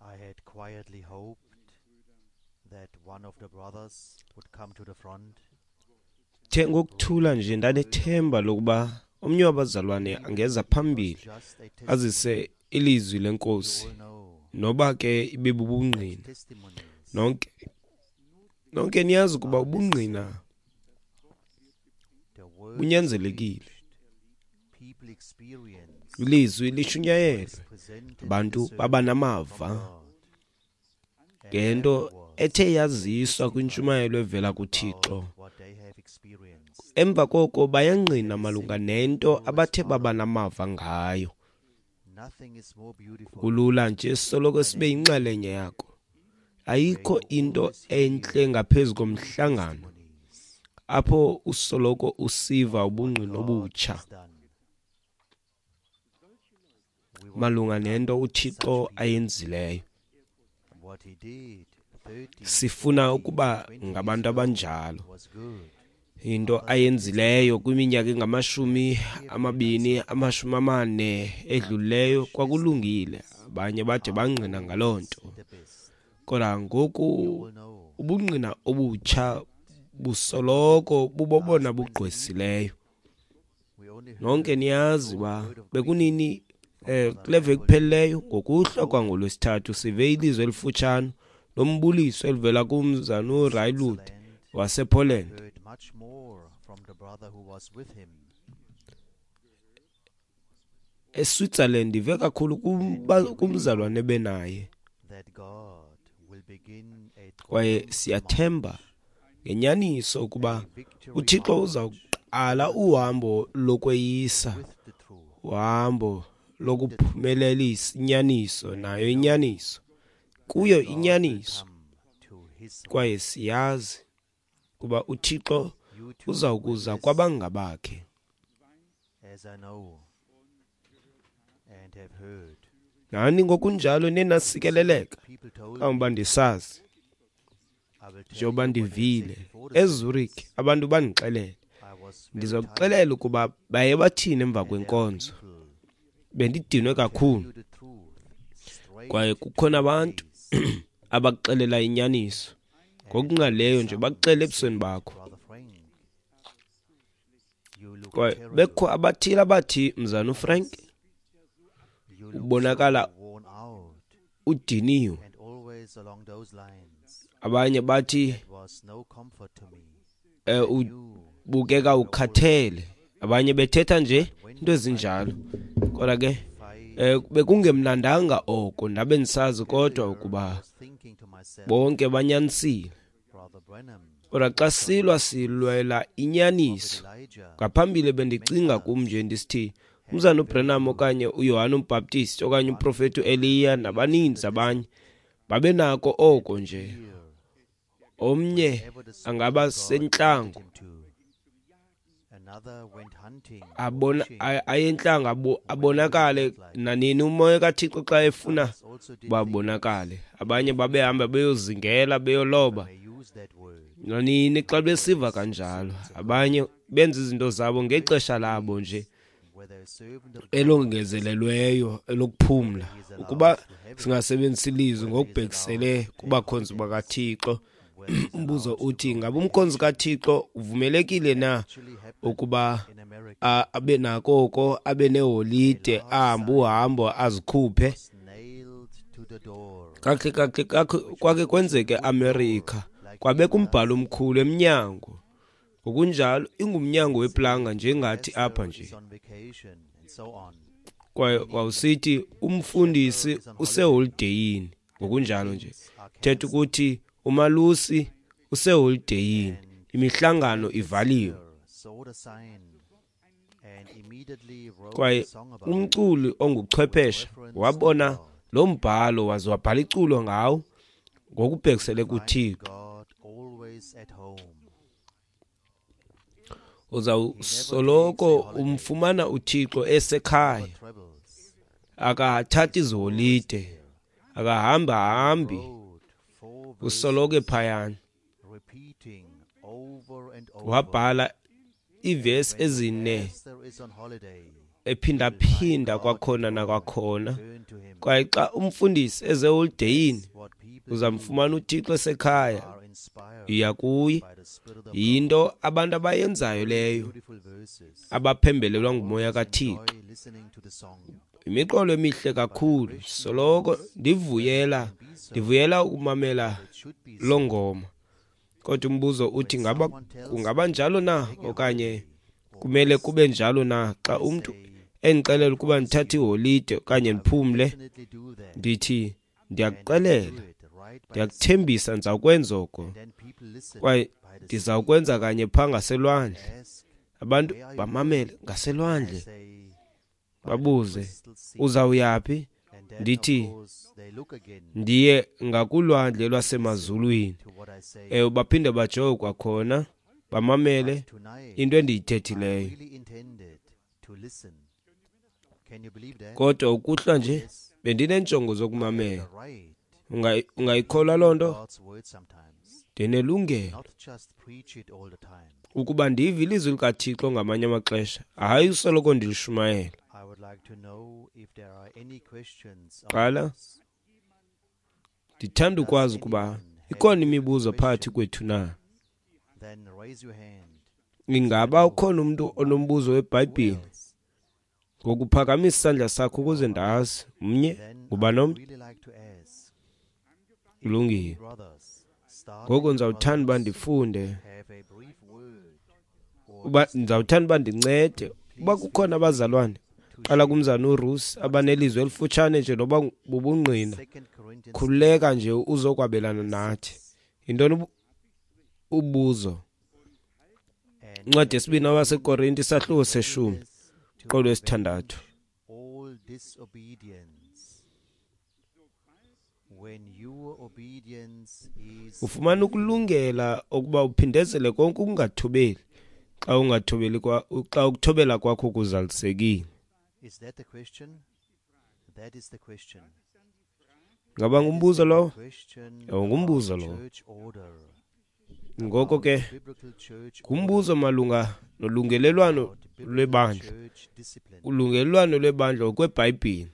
I had quietly hoped that one of the brothers would come to the front. The ngokuthula nje ndanethemba lokuba omnye wabazalwane angeza phambili azise ilizwi lenkosi, noba ke ibe bubungqina. Nonke niyazi ukuba ubungqina bunyanzelekile. Ilizwi lishunyayelwe, abantu baba namava ngento ethe yaziswa kwintshumayelo evela kuThixo. Emva koko bayangqina malunga nento abathe baba namava ngayo. Kulula nje soloko sibe yinxalenye yako. Ayikho into entle ngaphezu komhlangano apho usoloko usiva ubungqina obutsha malunga nento uThixo ayenzileyo. Sifuna ukuba ngabantu abanjalo. Into ayenzileyo kwiminyaka engamashumi amabini, 40 edlulileyo kwakulungile. Abanye bade bangqina ngaloo nto. Kodwa ngoku ubungqina obutsha busoloko bubobona bugqwesileyo. Nonke niyazi uba bekunini kule veki kuphelileyo ngokuhlwa kwangolwesithathu sive ilizwi elifutshane lombuliso elivela kumzana uRailud wasePoland. ESwitzerland ive kakhulu kumzalwane benaye. Kwaye siyathemba ngenyaniso ukuba uThixo uzawuqala uhambo lokweyisa, uhambo lokuphumelelisa inyaniso, nayo inyaniso, kuyo inyaniso. Kwaye siyazi kuba uThixo uzawukuza kwabangabakhe. Nani ngokunjalo nenasikeleleka kangoba ndisazi, njengoba ndivile eZurich abantu bandixelele. Ndizokuxelela ukuba baye bathini emva kwenkonzo. Bendidinwe kakhulu. Kwaye kukhona abantu abakuxelela inyaniso ngokungqalileyo nje, bakuxele ebusweni bakho. Kwaye bekho abathile abathi, Mzana uFrank, ubonakala udiniwe. Abanye bathi ubukeka ukhathele. Abanye bethetha nje into ezinjalo. Kodwa ke bekungemnandanga oko, ndabe ndisazi kodwa ukuba bonke banyanisile. Kodwa xa silwa silwela inyaniso. Ngaphambili bendicinga kum nje ndisithi umzana uBranham okanye uYohane uMbhaptisti okanye umprofeti uEliya nabaninzi abanye babenako oko nje. Omnye angaba sentlango, abona ayentlango abonakale nanini umoya kaThixo xa efuna babonakale. Abanye babehamba beyozingela beyoloba nanini xa besiva kanjalo. Abanye benza izinto zabo ngexesha labo nje elongezelelweyo elokuphumla. Ukuba singasebenzisa ilizwi ngokubhekisele kubakhonzi bakaThixo, umbuzo uthi ngabe umkhonzi kaThixo uvumelekile na ukuba abe nako oko, abe neholide, ahambe uhambo azikhuphe? Kakuhle kwake kwenzeke eAmerika, kwabekho umbhalo omkhulu emnyango. Ngokunjalo ingumnyango weplanga njengathi apha nje. Kwaye wawusithi umfundisi useholideyini, ngokunjalo nje thetha ukuthi umalusi useholideyini, imihlangano ivaliwe. Kwaye umculi onguchwepheshe wabona lo mbhalo waze wabhala iculo ngawo ngokubhekisele kuThixo. Uzawusoloko umfumana uThixo esekhaya, akathathi iziholide, akahamba hambi, usoloko ephayana. Wabhala iivesi ezine ephindaphinda kwakhona nakwakhona Kwaye xa umfundisi eze holideyini, uzamfumana uThixo esekhaya, iya kuye. Yinto abantu abayenzayo leyo, abaphembelelwa ngumoya kaThixo. Imiqolo emihle kakhulu, soloko ndivuyela ukumamela loo ngoma. Kodwa umbuzo uthi ngaba kungaba njalo na okanye kumele kube njalo na? Xa umntu endixelela ukuba ndithathe iholide okanye ndiphumle, ndithi ndiyakuxelela, ndiyakuthembisa ndizawukwenza oko, kwaye ndizawukwenza kanye phaa ngaselwandle. Abantu bamamele ngaselwandle, babuze uzawuyaphi? Ndithi ndiye ngakulwandle lwasemazulwini. Ewe, baphinde bajonge kwakhona, bamamele into endiyithethileyo. Kodwa ukuhlwa nje bendineenjongo zokumamela. Ungayikholwa loo nto? Ndinelungelo ukuba ndive ilizwi likaThixo ngamanye amaxesha, hayi usoloko ndilishumayela. Qala, ndithanda ukwazi ukuba ikhona imibuzo phakathi kwethu na. Ingaba ukhona umntu onombuzo weBhayibhile? Ngokuphakamisa isandla sakho ukuze ndazi. Mnye, nguba nomnye? Kulungile. Ngoku ndizawuthanda uba ndifunde, uba ndizawuthanda uba ndincede. Uba kukhona abazalwane, qala kumzana uRusi, abanelizwi elifutshane nje noba bubungqina, khululeka nje uzokwabelana nathi. Yintoni ubuzo? Incwadi yesibini abaseKorinte, isahluko seshumi, qolo wesithandathu. Ufumana ukulungela ukuba uphindezele konke ukungathobeli xa ungathobeli xa ukuthobela kwakho kuzalisekile. Ngaba ngumbuzo lowo? Ewe, ngumbuzo lowo. Ngoko ke ngumbuzo malunga nolungelelwano lwebandla, ulungelelwano lwebandla ngokweBhayibhile,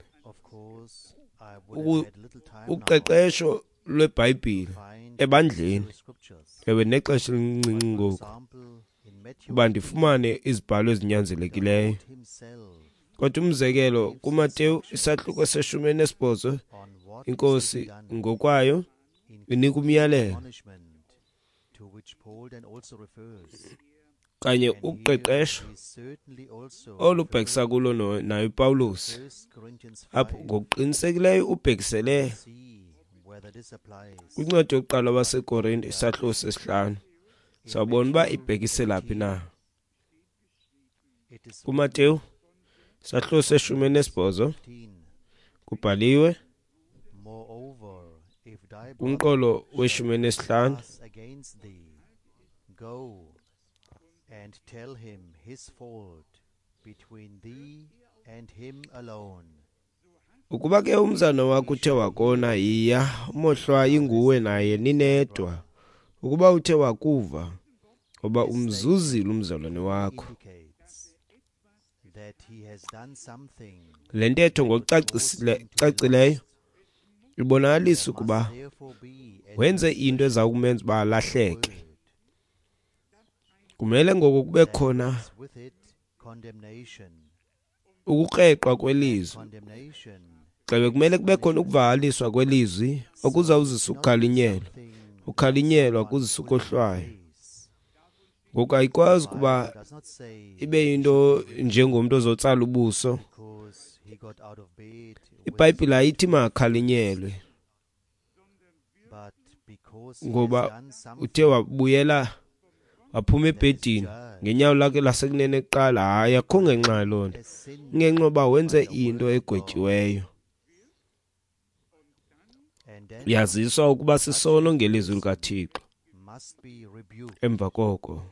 uqeqesho lweBhayibhile ebandleni. Ewe, nexesha elincinci ngoku uba ndifumane izibhalo ezinyanzelekileyo. Kodwa umzekelo kuMateyu isahluko se-18, iNkosi ngokwayo inika umyalelo kanye uqeqesho olubhekisa kulo naye uPawulos. Apho ngokuqinisekileyo ubhekisele kwincwadi yokuqala waseKorinte isahluko sesihlanu. Sawubona uba ibhekisela phi na. KuMateyu isahluko se-18 kubhaliwe kumqolo we-15, and tell him his fault between thee and him alone. Ukuba ke umzana wakho uthe wakona, yiya umohlwayi nguwe naye ninedwa. Ukuba uthe wakuva, ngoba umzuzile umzalwane wakho. Le ntetho ngokucacileyo ibonakalisa ukuba wenze into eza kumenza uba alahleke. Kumele ngoko kube khona ukukreqwa kwelizwi. Xebe kumele kube khona ukuvakaliswa kwelizwi okuzawuzisa ukukhalinyelwa. Ukhalinyelwa kuzisa ukohlwaywa. Ngoku ayikwazi ukuba ibe yinto njengomntu ozotsala ubuso. IBhayibhile ayithi makakhalinyelwe ngoba uthe wabuyela waphuma ebhedini ngenyawo lakhe lasekunene kuqala. Hayi, akho ngenxa yaloo nto, ingenxa yoba wenze into egwetyiweyo. Yaziswa ukuba sisono ngelizwi likaThixo. Emva koko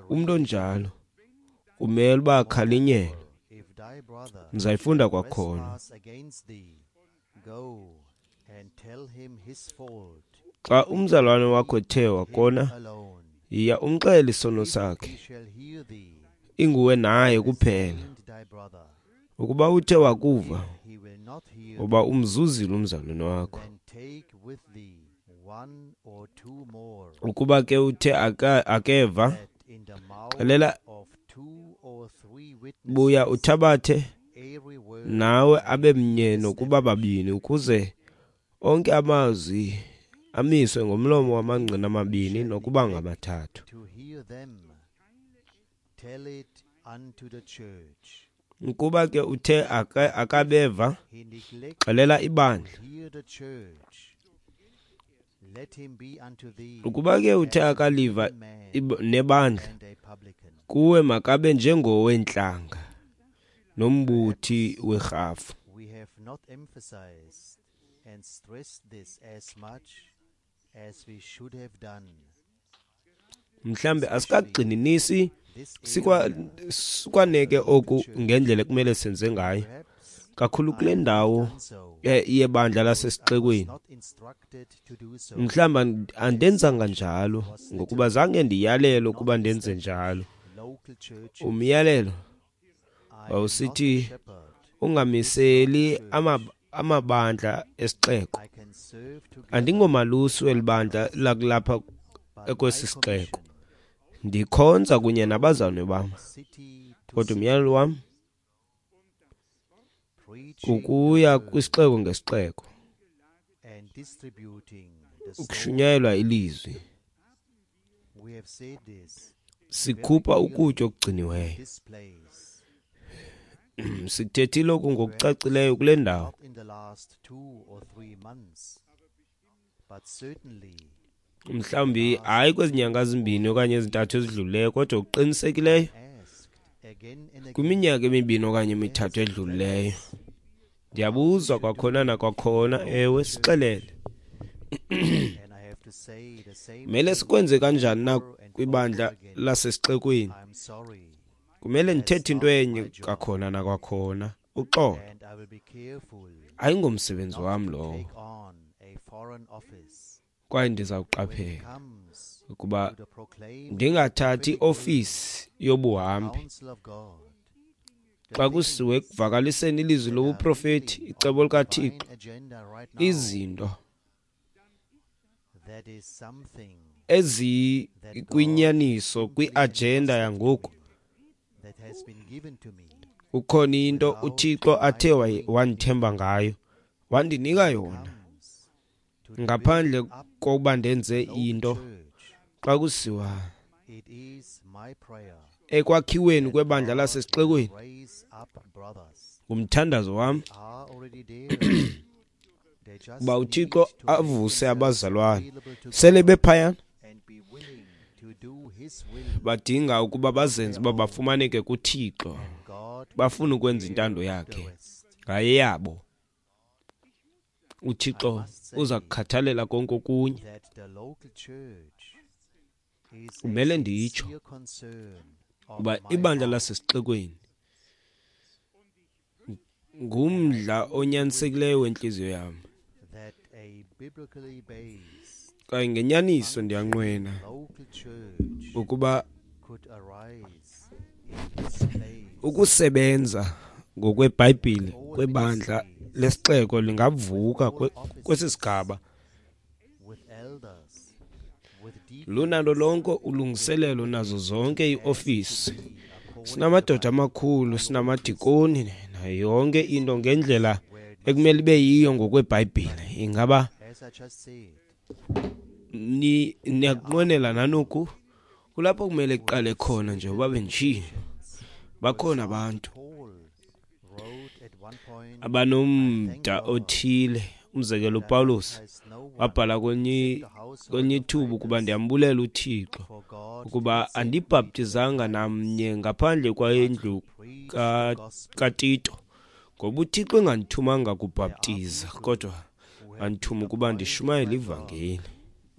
umntu onjalo kumele uba akhalinyelwe. Ndizayifunda kwakhona. Xa umzalwane wakho ethe wakona, yiya umxele isono sakhe, inguwe naye kuphela. Ukuba uthe wakuva, If he will not hear uba umzuzile umzalwane wakho. then take with thee one or two more, Ukuba ke uthe akeva, that in the mouth xelela of two or three buya witnesses uthabathe every word nawe may abe be mnye nokuba established. babini, ukuze onke amazwi amiswe ngomlomo wamangqina If he amabini shall nokuba neglect ngamathathu. to hear them, tell it unto the church. Ukuba ke uthe akabeva, He neglect xelela to ibandla. hear the church, let him be unto thee Ukuba ke uthe as an akaliva evil man nebandla, and a publican. kuwe makabe njengoweentlanga nombuthi Perhaps werhafu. we have not emphasized and stressed this as much as we should have done, Mhlambe especially asikagxininisi this area sikwaneke of the local oku church. ngendlela ekumele senze ngayo, Perhaps kakhulu I kule have not ndawo done so yebandla because I was lasesixekweni. not instructed to do so. Mhlawumbi As andenzanga such njalo was ngokuba determined zange ndiyalelwe not ukuba ndenze establish njalo. local churches. Umyalelo I am not a wawusithi shepherd of this ungamiseli local church. amabandla esixeko. I can serve together Andingomalusi with weli my bandla brothers, lakulapha but my kwesi sixeko. commission Ndikhonza is to kunye go nabazalwane bam, from city to kodwa city, umyalelo wam preaching the kukuya word kwisixeko ngesixeko, and distributing the stone. ukushunyayelwa ilizwi, We have said this very sikhupha clearly ukutya in okugciniweyo. this place. Sikuthethile oku Perhaps ngokucacileyo kule ndawo. not in the last 2 or 3 months, but certainly in the Mhlawumbi last hayi kwezi nyanga 2 or zimbini okanye 3. ezintathu ezidlulileyo, kodwa okuqinisekileyo I'm asked again and again, kwiminyaka emibini okanye emithathu yes, tell edlulileyo. us how we Ndiyabuzwa should do kwakhona in the nakwakhona, local ewe, church. sixelele. And I have to say the same Kumele thing sikwenze kanjani na over and kwibandla over again. lasesixekweni? I'm sorry, Kumele that's ndithethe into not enye my job, kwakhona nakwakhona. Uxolo, and I will be careful ayingomsebenzi not wam to lowo, take on a foreign office kwaye when it ndizawuqaphela comes ukuba to the proclaiming the ndingathathi prophetic word, iofisi the yobuhambi counsel of God, the xa kusiwe things ekuvakaliseni ilizwi that are lobuprofethi, really on icebo the likaThixo, divine agenda right now. izinto That is something that God ezikwinyaniso simply kwiajenda entrusted to yangoku. me, that has been given to me Kukhona into without uThixo my athe doing wandithemba anything. ngayo, wandinika When it yona comes to the ngaphandle building up kokuba of the ndenze local into. church, Xa kusiwa it is my prayer ekwakhiweni that kwebandla God will lasesixekweni, raise up brothers. ngumthandazo wam They are already there. They just uba need uThixo to make avuse themselves abazalwane available to sele God bephayana, and be willing to do His will badinga ukuba on bazenze their uba own, bafumaneke kuThixo, and God will bafuna take ukwenza care intando of the yakhe rest. ngayeyabo. I uThixo must uza say kukhathalela konke okunye. that the local church is a Kumele nditsho sincere concern of uba my ibandla heart, lasesixekweni and I ngumdla deeply wish onyanisekileyo wentliziyo yam, that a biblically based, kwaye ngenyaniso functioning ndiyanqwena local church ukuba could arise in this place ukusebenza with ngokweBhayibhile all kwebandla ministries, lesixeko with lingavuka all kwesi offices, sigaba with elders, with lunalo deacons, lonke with ulungiselelo nazo everything zonke as to iiofisi. be according to the Sinamadoda Bible. amakhulu, I hope this sinamadikoni nayo yonke this into is ngendlela where it must ekumele be. ibe yiyo ngokweBhayibhile. Ingaba As I just said, ni there are niyakunqwenela people nanoku? Kulapho kumele who kuqale have khona nje certain uba benditshilo, possessions. For bakhona example, abantu Paul wrote at one point, I thank abanomda God othile. Umzekelo, that I uPawulos baptized no one wabhala except the household kwelinye of ithuba ukuba Titus, ndiyambulela uThixo for God did ukuba not send me to andibhaptizanga baptize, namnye ngaphandle but to kwendlu preach the gospel. kaTito, ngoba uThixo engandithumanga There are kubhaptiza, people kodwa who have been wandithuma ukuba appointed ndishumayele by God ivangeli.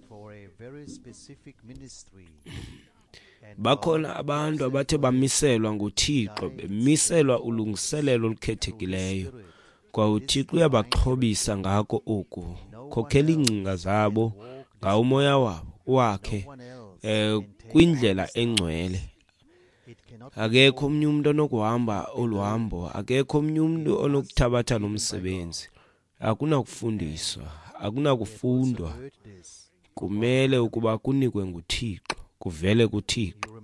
for a very specific ministry, and God Bakhona abantu gives them abathe for this, bamiselwa nguThixo, guides their bemiselwa thoughts ulungiselelo through His olukhethekileyo, Spirit, kwaye this uThixo divine uyabaxhobisa direction. ngako oku, No one khokhela iingcinga else can zabo walk this ngawo umoya path. wabo wakhe No one else can take on kwindlela this engcwele. task. Akekho omnye umntu onokuhamba olu hambo, akekho omnye umntu onokuthabatha lo msebenzi. Akunakufundiswa, akunakufundwa. Kumele ukuba kunikwe nguThixo, kuvele kuThixo.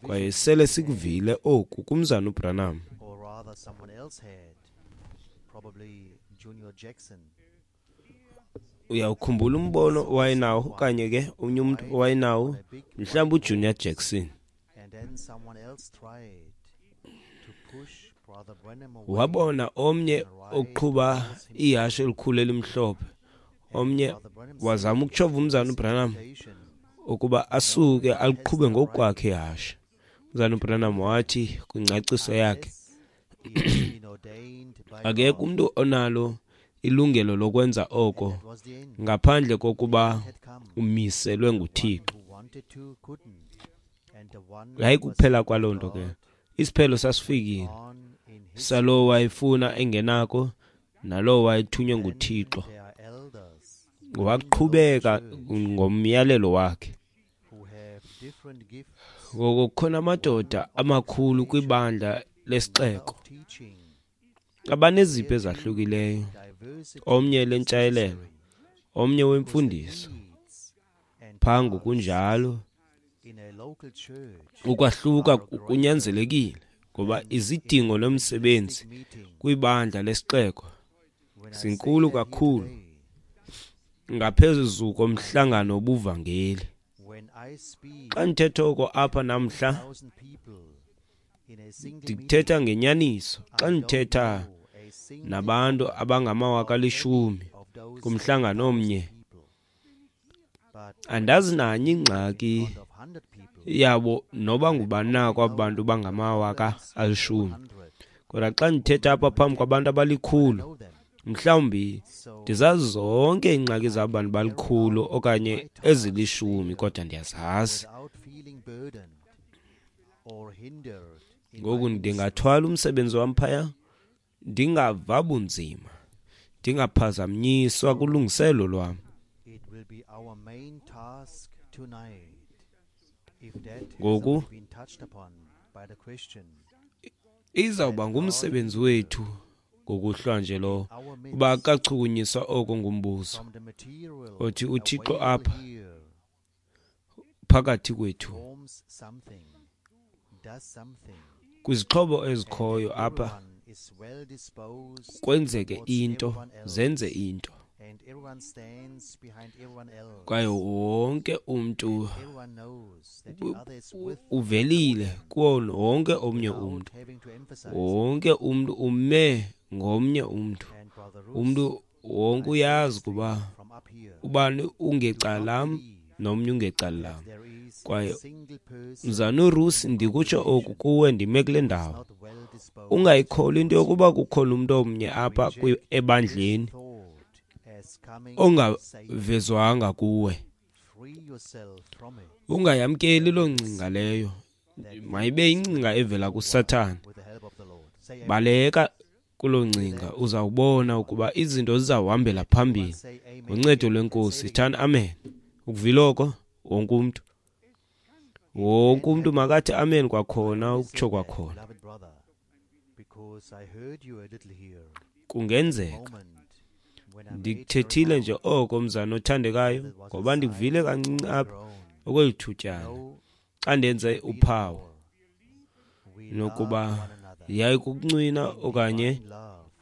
Kwaye sele sikuvile oku kumzana uBranham. Uyawukhumbula umbono owayenawo okanye ke omnye umntu owayenawo, mhlawumbi uJunior Jackson. Wabona omnye oqhuba ihashe elikhulu elimhlophe, omnye wazama ukutshova umzana uBranham ukuba asuke aliqhube ngokukwakhe ihashe. Umzana uBranham wathi kwingcaciso yakhe, akekho umntu onalo ilungelo lokwenza oko ngaphandle kokuba umiselwe nguThixo. Yayikuphela kwaloo nto ke. Isiphelo sasifikile salowo wayefuna engenako nalowo wayethunywe nguThixo. Waqhubeka ngomyalelo wakhe. Ngoko kukhona amadoda amakhulu kwibandla lesixeko abanezipho ezahlukileyo, omnye lentshayelelo, omnye wemfundiso. Phaa ngokunjalo ukwahluka kunyanzelekile ngoba izidingo nomsebenzi kwibandla lesixeko zinkulu kakhulu ngaphezu komhlangano wobuvangeli. Xa ndithetha oko apha namhla, ndithetha ngenyaniso. Xa ndithetha nabantu abangama 10,000 kumhlangano omnye, andazi nanye ingxaki yabo noba ngubani na kwabo bantu bangama 10,000. Kodwa xa ndithetha apha phambi kwabantu abalikhulu, mhlawumbi ndizazi zonke iingxaki zabo bantu balikhulu okanye ezilishumi, kodwa ndiyazazi. Ngoku ndingathwala umsebenzi wam phaya ndingava bunzima, ndingaphazanyiswa kulungiselelo lwam. Ngoku izawuba ngumsebenzi wethu ngokuhlwa nje lo, uba akachukunyiswa oko ngumbuzo othi uThixo apha phakathi kwethu kwizixhobo ezikhoyo apha kwenzeke into, zenze into, kwaye wonke umntu uvelile kuwo wonke omnye umntu, wonke umntu ume ngomnye umntu, umntu wonke uyazi ukuba ubani ungecala lam nomnye ungecala lam. Kwaye mzana uRusi, ndikutsho oku kuwe ndime kule ndawo, ungayikholwa into yokuba kukhona umntu omnye apha ebandleni ongavezwanga kuwe. Ungayamkeli loo ngcinga leyo, mayibe ingcinga evela kuSathane. Baleka kuloo ngcinga, uzawubona ukuba izinto zizawuhambela phambili ngoncedo lweNkosi. Thani amen. Ukuvile oko wonke umntu, wonke umntu makathi amen kwakhona, ukutsho kwakhona. Kungenzeka ndikuthethile nje oko mzana othandekayo, ngoba ndikuvile kancinci apha okweli thutyana xa ndenze uphawu nokuba yayikukuncwina okanye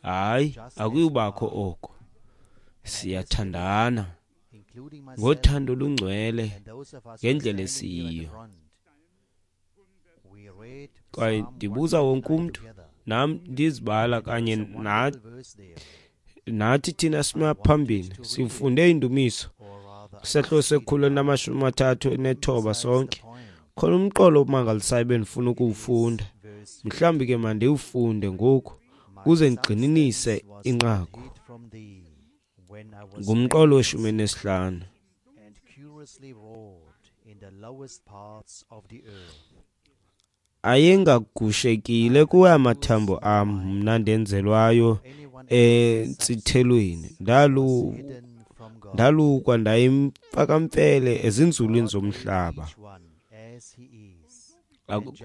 hayi, akuyubakho oko. Siyathandana ngothando olungcwele ngendlela esiyiyo. Kwaye ndibuza wonke umntu, nam ndizibala kanye nathi thina sima phambili, sifunde indumiso sehlo se-139 sonke. Khona umqolo omangalisayo bendifuna ukuwufunda, mhlawumbi ke mandiwufunde ngoku ukuze ndigxininise inqaku. Ngumqolo we-15. Ayengagushekile kuwe amathambo am, mna ndenzelwayo entsithelweni. Ndalukwa ndayimfakamfele ezinzulwini zomhlaba.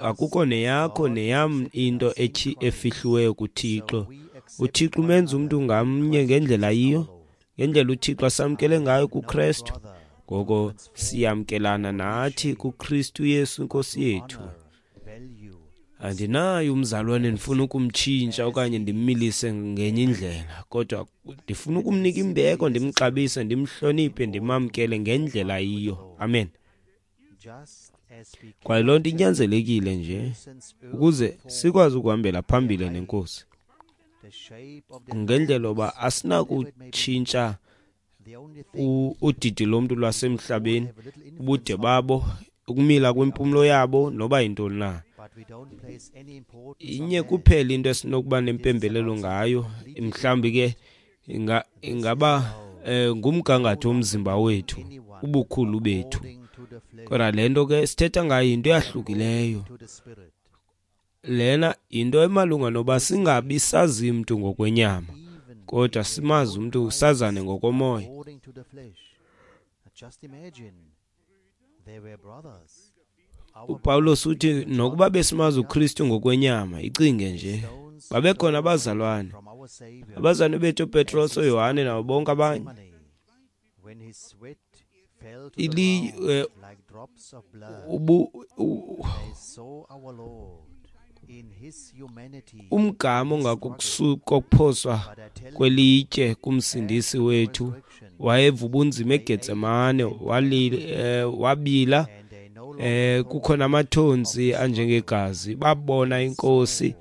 Akukho neyakho neyam into efihliweyo kuThixo. UThixo umenza umntu ngamnye ngendlela ayiyo, ngendlela uThixo asamkele ngayo kuKrestu. Ngoko siyamkelana nathi kuKristu Yesu Inkosi yethu. Andinayo umzalwane ndifuna ukumtshintsha okanye ndimmilise ngenye indlela, kodwa ndifuna ukumnika imbeko, ndimxabise, ndimhloniphe, ndimamkele ngendlela ayiyo. Amen. Kwaye loo nto inyanzelekile nje ukuze sikwazi ukuhambela phambili neNkosi. Ngendlela yoba asinakutshintsha udidi lomntu lwasemhlabeni, ubude babo, ukumila kwempumlo yabo, noba yintoni na. Inye kuphela into esinokuba nempembelelo ngayo, mhlawumbi ke ingaba ngumgangatho womzimba wethu, ubukhulu bethu. Kodwa le nto ke sithetha ngayo yinto eyahlukileyo. Lena yinto emalunga noba singabi sazi mntu ngokwenyama, kodwa simazi umntu, sazane ngokomoya. UPawulos uthi nokuba besimazi uKristu ngokwenyama, icinge nje, babekhona abazalwane, abazalwane bethu uPetros, uYohane nabo bonke abanye. Umgama ongakokuphoswa kwelitye kumsindisi wethu wayeva ubunzima eGetsemane, wabila, kukhona amathontsi anjengegazi. Babona inkosi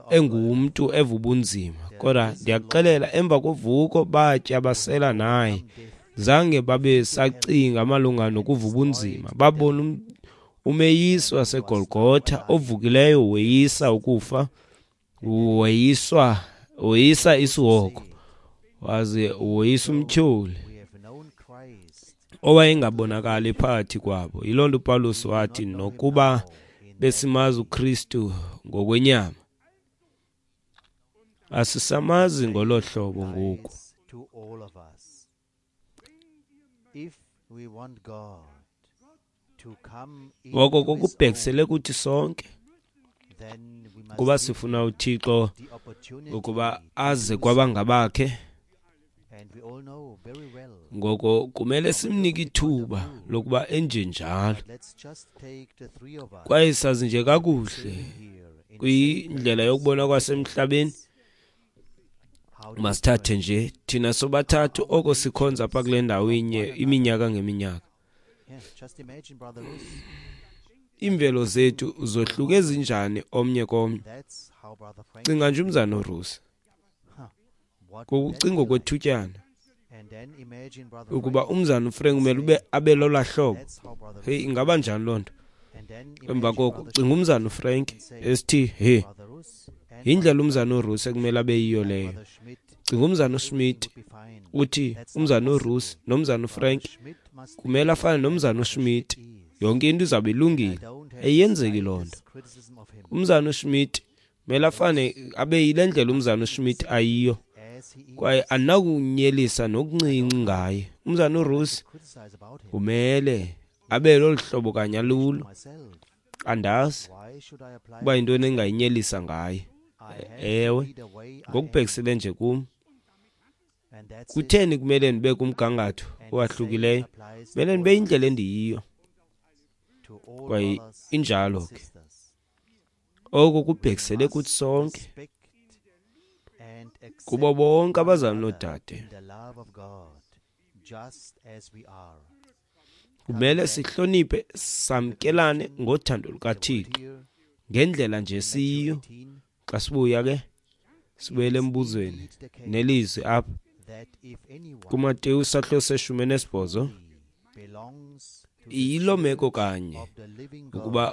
engumntu eva ubunzima, kodwa ndiyakuxelela, emva kovuko batya basela naye, zange babe sacinga malunga nokuva ubunzima. Babona umeyisi waseGolgotha ovukileyo, weyisa ukufa, weyisa isihogo, waze weyisa umtyholi owayengabonakali phakathi kwabo. Yiloo nto uPawulos wathi nokuba besimazi uKristu ngokwenyama, asisamazi ngolo hlobo ngoku. Ngoko kokubhekisele kuthi sonke, kuba sifuna uThixo ukuba aze kwabangabakhe, ngoko kumele simnike ithuba lokuba enjenjalo. Kwaye sazi nje kakuhle kwindlela yokubona kwasemhlabeni, masithathe nje thina sobathathu oko sikhonza apha kule ndawo inye iminyaka ngeminyaka. Iimvelo zethu zohluke zinjani omnye komnye. Cinga nje umzana uRusi, ngokucinga kwethutyana ukuba umzana uFrank kumele ube abe lolaa hlobo. Hey, ingaba njani loo nto? Emva koko cinga umzana uFrank esithi he, yindlela umzana uRusi ekumele abe yiyo leyo. Cinga umzana uSmith uthi umzana uRusi nomzana uFrank kumele afane nomzana uSmith, yonke into izawube ilungile. Ayenzeki loo nto. Umzana uSmith kumele afane abe yile ndlela umzana uSmith ayiyo, kwaye anakunyelisa nokuncinci ngaye. Umzana uRusi kumele abe lolu hlobo kanye alulo. Andazi uba yintoni engayinyelisa ngaye. Ewe, ngokubhekisele nje kum, kutheni kumele ndibe kumgangatho owahlukileyo? Kumele ndibe yindlela endiyiyo, kwaye injalo ke. Oko kubhekisele kuthi sonke, kubo bonke abazali noodade. Kumele sihloniphe, samkelane ngothando lukaThixo ngendlela nje siyiyo. Xa sibuya ke sibuyele embuzweni nelizwi apha kuMateyu sahluko se-18. Yiloo meko kanye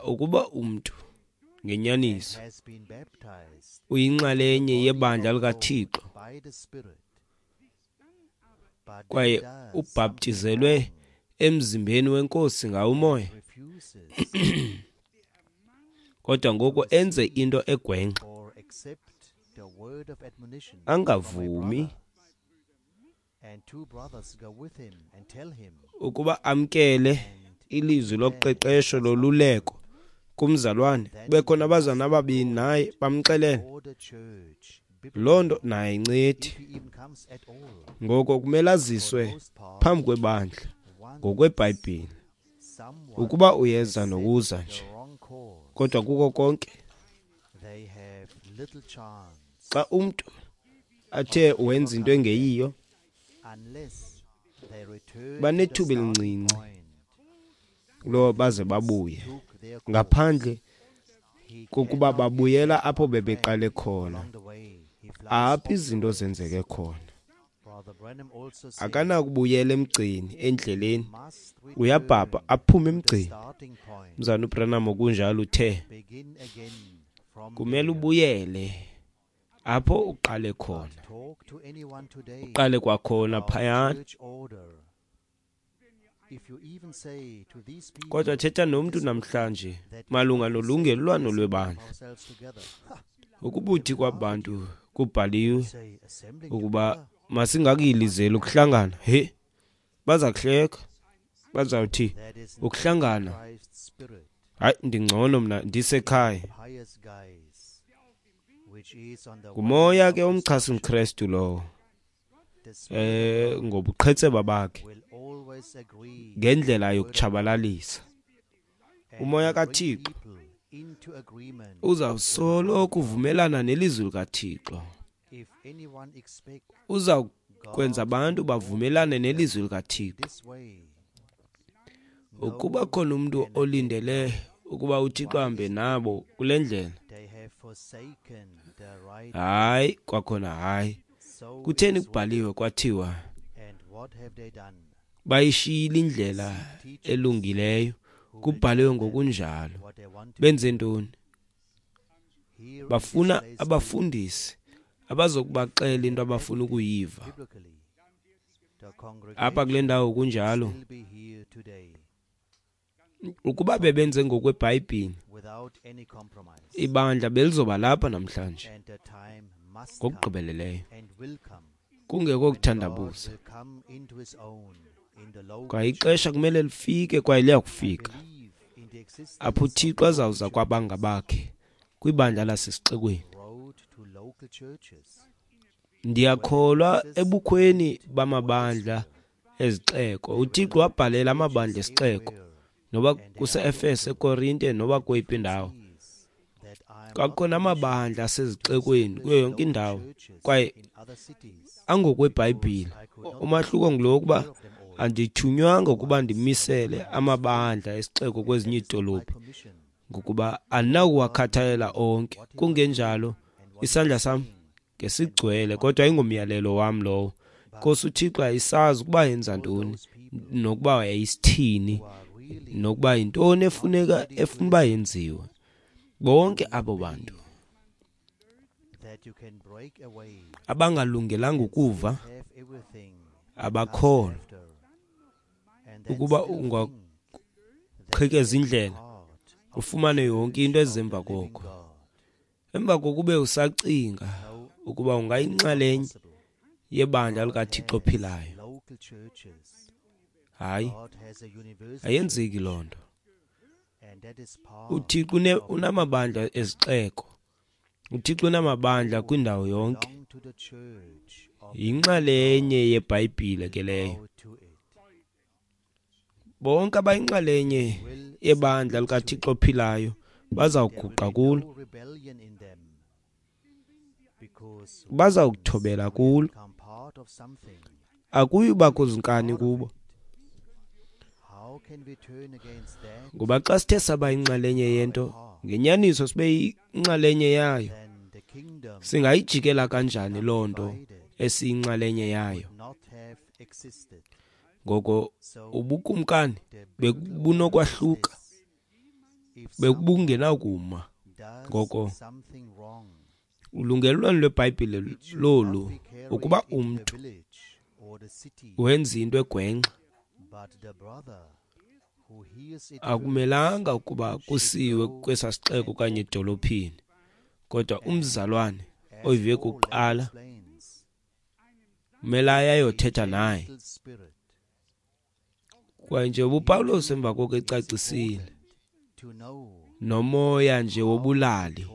ukuba umntu ngenyaniso uyinxalenye yebandla likaThixo kwaye ubhaptizelwe emzimbeni wenkosi ngawo umoya, kodwa ngoku enze into egwenxa, angavumi ukuba amkele ilizwi loqeqesho loluleko kumzalwane, kubekho nabazalwana ababini naye bamxelele, loo nto naye ayincedi. Ngoko kumele aziswe phambi kwebandla ngokweBhayibhile, ukuba uyeza nokuza nje. Kodwa kuko konke, xa umntu athe wenza into engeyiyo, banethuba elincinci lo baze babuye, ngaphandle kokuba babuyela apho bebeqale khona, apho izinto zenzeke khona. Akanakubuyela emgceni endleleni, uyabhabha aphume emgceni. Mzalwana uBranham kunjalo uthe kumele ubuyele apho uqale khona, uqale kwakhona phayana. Kodwa thetha nomntu namhlanje malunga nolungelelwano lwebandla. Ukubuthi kwabantu kubhaliwe ukuba masingakuyilizeli ukuhlangana. He, baza kuhleka, bazawuthi ukuhlangana, hayi ndingcono mna ndisekhaya. Ngumoya ke omchasi mKrestu lowo, ngobuqhetseba bakhe ngendlela yokutshabalalisa. Umoya kaThixo uzawusoloko uvumelana nelizwi likaThixo, uzawukwenza abantu bavumelane nelizwi likaThixo. Ukuba khona umuntu olindele ukuba uThixo ahambe nabo kule ndlela, hayi kwakhona hayi. Kutheni kubhaliwe kwathiwa bayishiyile indlela elungileyo? Kubhaliwe ngokunjalo. Benze ntoni? Bafuna abafundisi abazokubaxela into abafuna ukuyiva. Apha kule ndawo kunjalo. Ukuba bebenze ngokweBhayibhile, ibandla belizoba lapha namhlanje ngokugqibeleleyo, kungekho kuthandabuza. Kwaye ixesha kumele lifike, kwaye liyakufika apho uThixo azawuza kwabangabakhe kwibandla lasesixekweni. Ndiyakholwa ebukhweni bamabandla ezixeko. uThixo wabhalela amabandla esixeko, noba kuse-Efese, eKorinte, noba kweyiphi indawo. Kwakhona amabandla asezixekweni kuyo yonke indawo, kwaye angokweBhayibhile. Umahluko ngulo wokuba andithunywanga ukuba ndimisele amabandla esixeko kwezinye iidolophu, ngokuba andinakuwakhathalela onke. Kungenjalo isandla sam ngesigcwele, kodwa ayingomyalelo wam lowo. Nkosi uThixo ayisazi ukuba yenza ntoni, nokuba yayisithini, nokuba yintoni efuneka efuna uba yenziwe. Bonke abo bantu abangalungelanga ukuva, abakholwa ukuba ungaqhekeza indlela ufumane yonke into ezemva koko. Emva kokube usacinga ukuba ungayinxalenye yebandla likaThixo ophilayo, hayi, ayenzeki loo nto. uThixo unamabandla ezixeko, uThixo unamabandla kwindawo yonke. Yinxalenye yeBhayibhile ke leyo. Bonke abayinxalenye yebandla likaThixo ophilayo bazawuguqa kulo, bazawukuthobela kulo. Akuyubakho zinkani kubo, ngoba xa sithe saba yinxalenye yento, ngenyaniso sibe yinxalenye yayo, singayijikela kanjani loo nto esiyinxalenye yayo? Ngoko ubukumkani bebunokwahluka, bekubungenakuma. Ngoko ulungelelwano lweBhayibhile lolu, ukuba umntu wenza into egwenxa, akumelanga ukuba kusiwe kwesa sixeko okanye edolophini, kodwa umzalwane oyive kuqala kumele aye ayothetha naye. Kwaye nje uPawulos emva koko ecacisile Nomoya nje wobulali.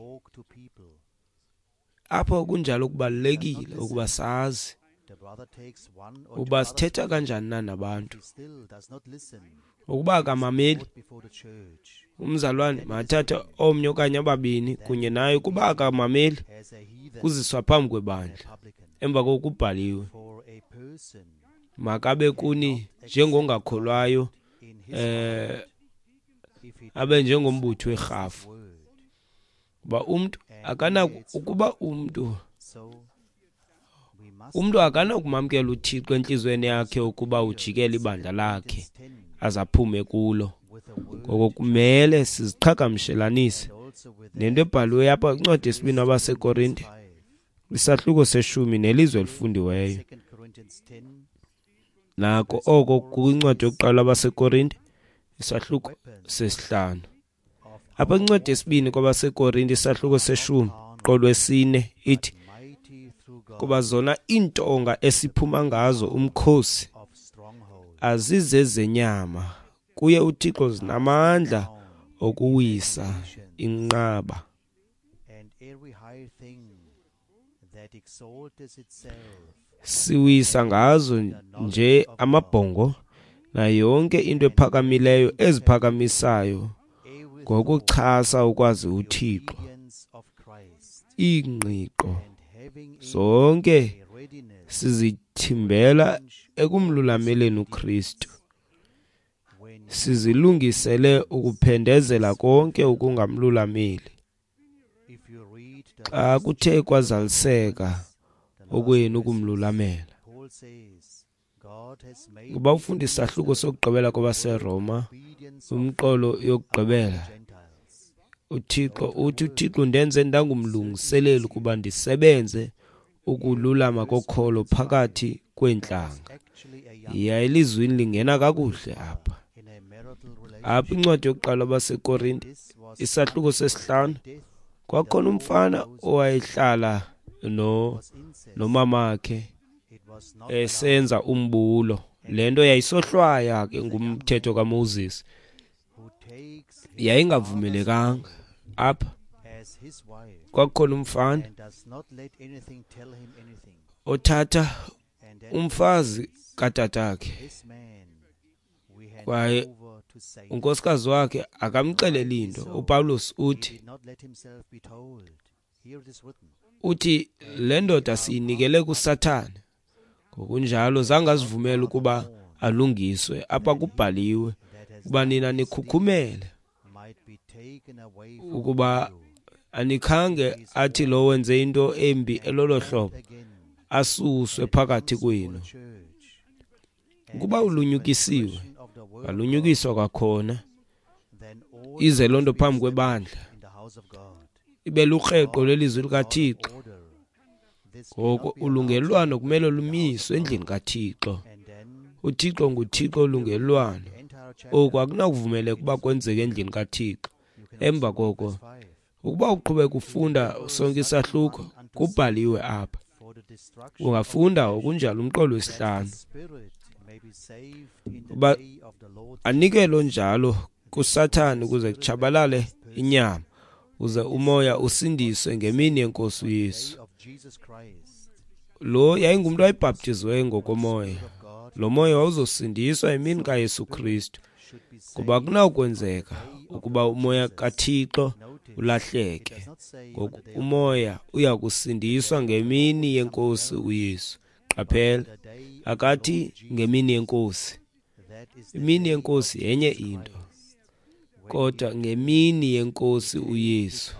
Apho kunjalo kubalulekile ukuba sazi uba sithetha kanjani na nabantu. Ukuba akamameli umzalwane makathathe omnye okanye ababini kunye naye. Ukuba akamameli, kuziswa phambi kwebandla. Emva koko kubhaliwe, makabe kuni njengongakholwayo, abe njengombutho werhafu. Kuba umntu akanako ukuba umntu akanakumamkela uThixo entliziyweni yakhe ukuba ujikele ibandla lakhe azaphume kulo. Ngoko kumele siziqhagamshelanise nento ebhaliweyo apha kwincwadi yesibini abaseKorinte, isahluko seshumi nelizwe elifundiweyo. Nako oko kwincwadi yokuqala abaseKorinte, isahluko sesihlanu. Apha kwincwadi yesibini kwabaseKorinte, isahluko seshumi, qolo wesine, ithi, kuba zona iintonga esiphuma ngazo umkhosi azizezenyama, kuye uThixo zinamandla okuwisa inqaba. Siwisa ngazo nje amabhongo nayo yonke into ephakamileyo eziphakamisayo ngokuchasa ukwazi uThixo. Iingqiqo zonke sizithimbela ekumlulameleni uKristu, sizilungisele ukuphendezela konke ukungamlulameli. Xa kuthe kwazaliseka okwenu ukumlulamela. Kuba ufunda isahluko sokugqibela kwabaseRoma, umqolo yokugqibela, uThixo uthi, uThixo ndenze ndangumlungiseleli ukuba ndisebenze ukululama kokholo phakathi kweentlanga. Yiya elizwini lingena kakuhle apha. Apha incwadi yokuqala abaseKorinte, isahluko sesihlanu, kwakhona umfana owayehlala nomamakhe esenza umbulo. Le nto yayisohlwaya ke ngumthetho kaMoses, yayingavumelekanga. Apha kwakhona umfana othatha umfazi katatakhe, kwaye unkosikazi wakhe akamxeleli into. uPawulos uthi le ndoda siyinikele kuSathane. Ngokunjalo zange azivumele ukuba alungiswe. Apha kubhaliwe ukuba nina nikhukhumele, ukuba anikhange athi lo wenze into embi elolo hlobo asuswe phakathi kwenu. Ukuba ulunyukisiwe, alunyukiswa kwakhona, ize loo nto phambi kwebandla, ibe lukreqo lwelizwi likaThixo. Ngoko ulungelelwano kumele lumiswe endlini kaThixo. uThixo nguThixo olungelelwano. Oku akunakuvumeleka ukuba kwenzeke endlini kaThixo. Emva koko, ukuba uqhubeka ufunda sonke isahluko, kubhaliwe apha. Ungafunda okunjalo umqolo wesihlanu. Uba anikelo njalo kuSathane ukuze kutshabalale inyama, uze umoya usindiswe ngemini yeNkosi uYesu. Lo yayingumntu owayebhaptiziweyo ngokomoya. Lo moya wawuzosindiswa emini kaYesu Kristu, kuba akunawukwenzeka ukuba umoya kaThixo ulahleke. Ngoku umoya uya kusindiswa ngemini yeNkosi uYesu. Qaphela, akathi ngemini yeNkosi. Imini yeNkosi yenye into, kodwa ngemini yeNkosi uYesu,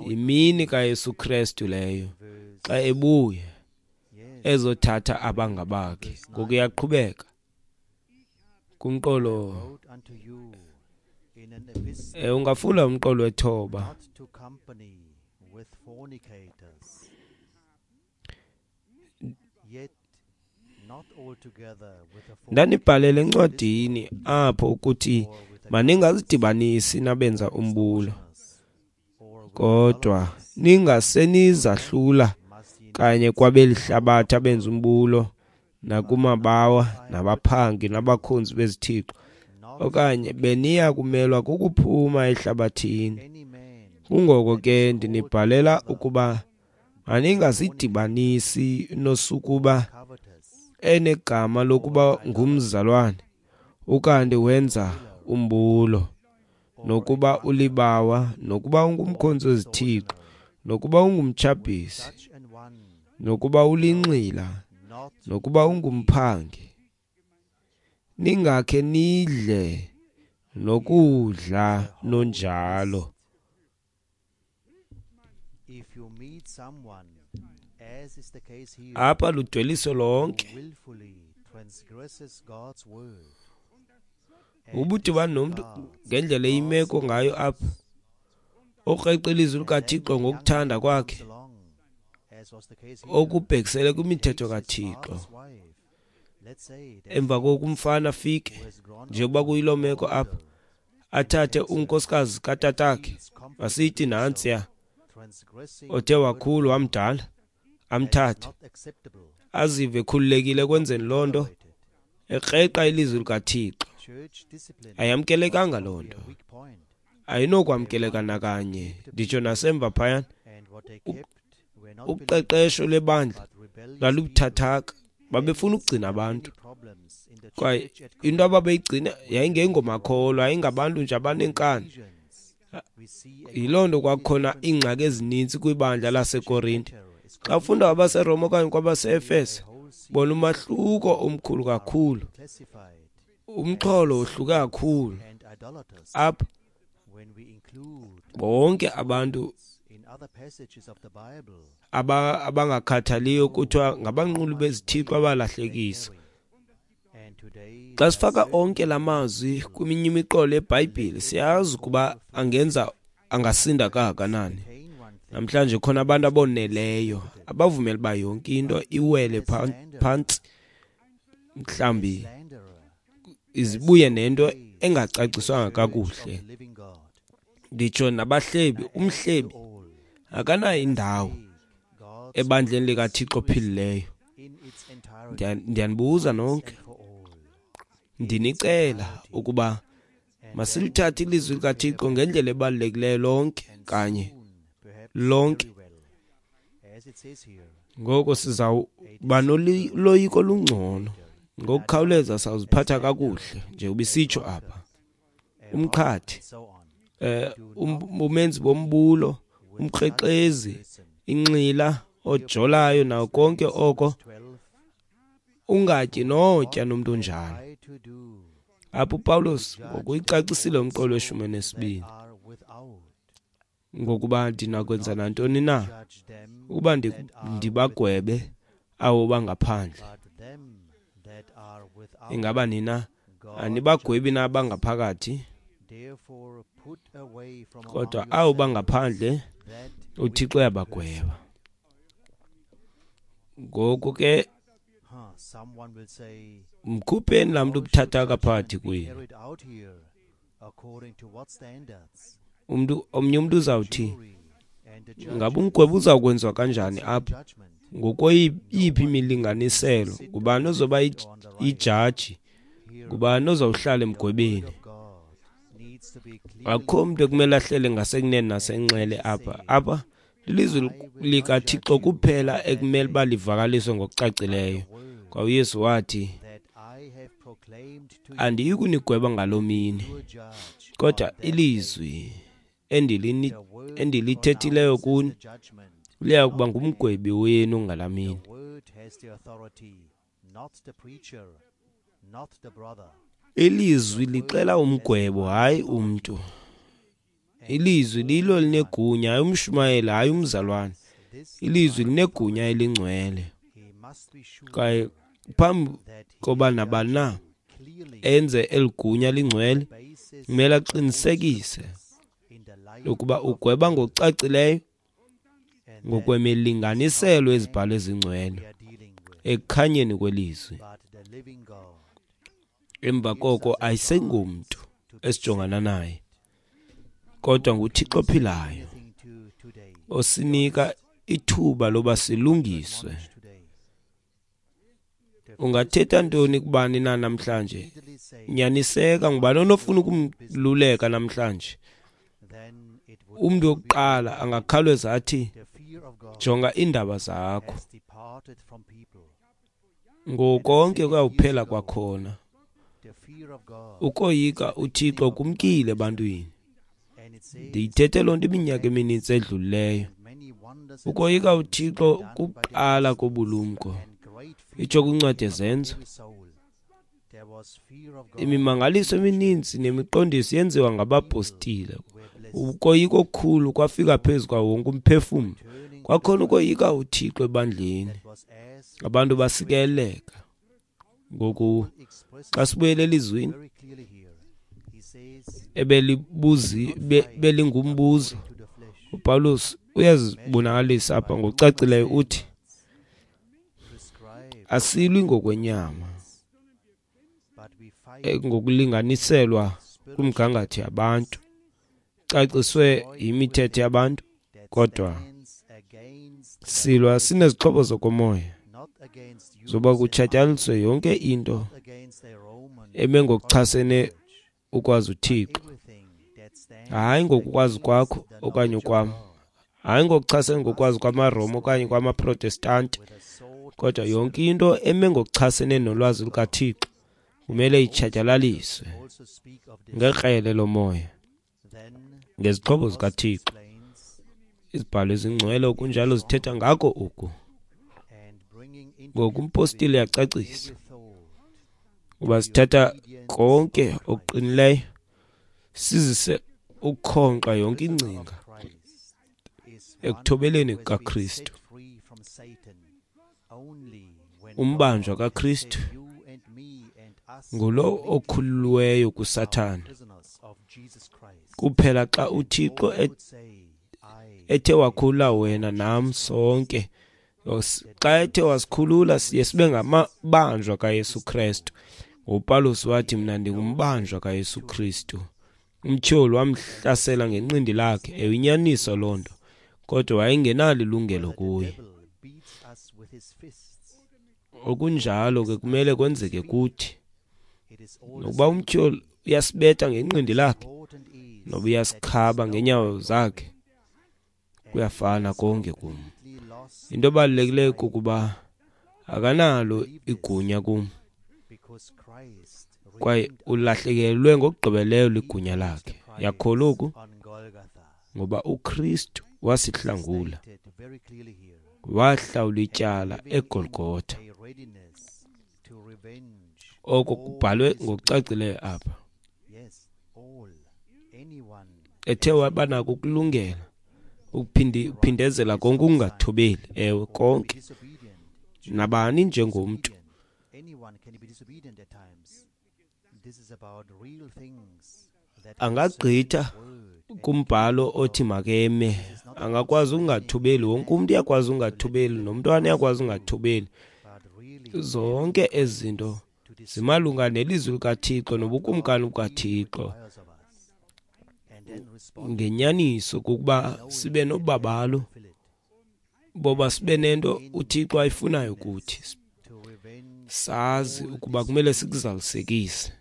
imini kaYesu Kristu leyo, xa ebuya ezothatha abangabakhe. Ngoku iyaqhubeka kumqolo. Ungafunda umqolo wethoba. Ndanibhalele encwadini apho ukuthi maningazidibanisi nabenza umbulo, kodwa ningasenizahlula kanye kwabeli hlabathi abenza umbulo, nakumabawa, nabaphangi, nabakhonzi bezithixo. Okanye beniya kumelwa kukuphuma ehlabathini. Kungoko ke ndinibhalela ukuba maningasidibanisi nosukuba enegama lokuba ngumzalwane, ukanti wenza umbulo, nokuba ulibawa, nokuba ungumkhonzi wezithixo, nokuba ungumtshabhisi, nokuba ulinxila, nokuba ungumphangi. Ningakhe nidle nokudla nonjalo. Apha ludweliso lonke. Ubudibana nomntu ngendlela eyimeko ngayo apha, okreqa ilizwi likaThixo ngokuthanda kwakhe, okubhekisele kwimithetho kaThixo. Emva koku umfana afike, njengoba kuyiloo meko apha, athathe unkosikazi katatakhe, masithi nantsiya, othe wakhulu wamdala, amthathe, azive ekhululekile ekwenzeni loo nto, ekreqa ilizwi likaThixo. Ayamkelekanga loo nto, ayinokwamkeleka nakanye, nditsho nasemva phayana. Uqeqesho lwebandla lalubuthathaka, babefuna ukugcina abantu, kwaye into ababeyigcina yayingengomakholwa, yayingabantu nje abanenkani. Yiloo nto kwakukhona iingxaki ezininzi kwibandla laseKorinte. Xa ufunda kwabaseRoma okanye kwabaseEfese, bona umahluko omkhulu kakhulu, umxholo wohluke kakhulu. Apha bonke abantu abangakhathaliyo kuthiwa ngabanquli bezithixo abalahlekisa. Xa sifaka onke la mazwi kweminye imiqolo yeBhayibhile, siyazi ukuba angenza angasinda kangakanani. Namhlanje khona abantu aboneleyo abavumela uba yonke into iwele phantsi, mhlawumbi izibuye nento engacaciswanga kakuhle. Nditsho nabahlebi, umhlebi akanayo indawo ebandleni likaThixo ophilileyo. Ndiyanibuza nonke, ndinicela ukuba masilithathe ilizwi likaThixo ngendlela ebalulekileyo lonke kanye lonke. Ngoko sizawuba noloyiko olungcono, ngokukhawuleza sawuziphatha kakuhle njengoba isitsho apha. Umqhathi, umenzi bombulo, umkrexezi, inxila, ojolayo nawo konke oko, ungatyi notya nomntu onjalo. Apha uPawulos ngokuyicacisile umqolo weshumi nesibini, ngokuba ndinakwenza nantoni na ukuba ndibagwebe abo bangaphandle. Ingaba nina anibagwebi na abangaphakathi? Kodwa abo bangaphandle uThixo uyabagweba. Ngoku ke mkhupheni laa mntu ubuthathaka phakathi kwenu. Umntu omnye umntu uzawuthi, ngabe umgwebo uzawukwenziwa kanjani apha? Ngokweyiphi imilinganiselo? Ngubani ozoba ijaji? Ngubani ozawuhlala emgwebeni? Akukho mntu ekumele ahlele ngasekunene nasenxele apha. Apha lilizwi likaThixo kuphela ekumele uba livakaliswe ngokucacileyo. Kwa uYesu wathi, andiyi kunigweba ngaloo mini, kodwa ilizwi endilithethileyo kuni liya kuba ngumgwebi wenu ngalaa mini. Ilizwi lixela umgwebo, hayi umntu. Ilizwi lilo linegunya, hayi umshumayeli, hayi umzalwane. Ilizwi linegunya elingcwele. Kwaye phambi koba nabani na enze eli gunya lingcwele, kumele aqinisekise ukuba ugweba ngokucacileyo ngokwemilinganiselo yezibhalo ezingcwele ekukhanyeni kwelizwi. Emva koko ayisengomntu esijongana naye, kodwa nguThixo ophilayo osinika ithuba loba silungiswe. Ungathetha ntoni kubani na namhlanje? Nyaniseka, ngubani onofuna ukumluleka namhlanje? Umntu wokuqala angakhawuleza athi, jonga iindaba zakho. Ngokonke kuyawuphela kwakhona. Ukoyika uThixo kumkile ebantwini. Ndiyithethe loo nto iminyaka eminintsi edlulileyo. Ukoyika uThixo kuqala kobulumko. Itsho kwincwadi yeZenzo. Imimangaliso emininzi nemiqondiso yenziwa ngabapostile. Ukoyika okukhulu kwafika phezu kwawo wonke umphefumlo. Kwakhona ukoyika uThixo ebandleni. Abantu basikeleleka. Ngoku xa sibuyele elizwini ebelingumbuzo, uPawulos uyazibonakalisa apha ngokucacileyo, uthi asilwi ngokwenyama, ngokulinganiselwa kwimigangatho yabantu, caciswe yimithetho yabantu, kodwa silwa sinezixhobo zokomoya zoba kutshatyalaliswe yonke into eme ngokuchasene ukwazi uThixo. Hayi ngokukwazi kwakho okanye kwam, hayi ngokuchasene ngokwazi kwamaRoma okanye kwamaProtestanti, kodwa yonke into eme ngokuchasene nolwazi lukaThixo kumele itshatyalaliswe ngekrele lomoya, ngezixhobo zikaThixo. Izibhalo ezingcwele okunjalo zithetha ngako oku. Ngoku umpostile uyacacisa uba sithatha konke okuqinileyo sizise ukukhonkxa yonke ingcinga ekuthobeleni kukaKristu. Umbanjwa kaKristu ngulo okhululiweyo kuSathana kuphela xa uThixo ethe wakhulula wena nam sonke. Xa ethe wasikhulula siye sibe ngamabanjwa kaYesu Kristu. UPawulos wathi, mna ndingumbanjwa kaYesu Kristu. Umtyholi wamhlasela ngenqindi lakhe. Ewe, inyaniso loo nto, kodwa wayengenalo ilungelo kuye. Okunjalo ke kumele kwenzeke kuthi. Nokuba umtyholi uyasibetha ngenqindi lakhe, noba uyasikhaba ngeenyawo zakhe, kuyafana konke kum. Into ebalulekileyo kukuba akanalo igunya kum, kwaye ulahlekelwe ngokugqibeleyo ligunya lakhe. Yakholwa oku, ngoba uKristu wasihlangula, wahlawula ityala eGolgotha. Oko kubhalwe ngokucacileyo apha. Ethe wabanako ukulungela ukuphindezela konke ukungathobeli, ewe konke, nabani njengomntu. Angagqitha kumbhalo othi makeme, angakwazi ukungathobeli. Wonke umntu uyakwazi ukungathobeli, nomntwana uyakwazi ukungathobeli. Zonke ezi zinto zimalunga nelizwi likaThixo nobukumkani bukaThixo. Ngenyaniso kukuba sibe nobabalo, boba sibe nento uThixo ayifunayo kuthi, sazi ukuba kumele sikuzalisekise,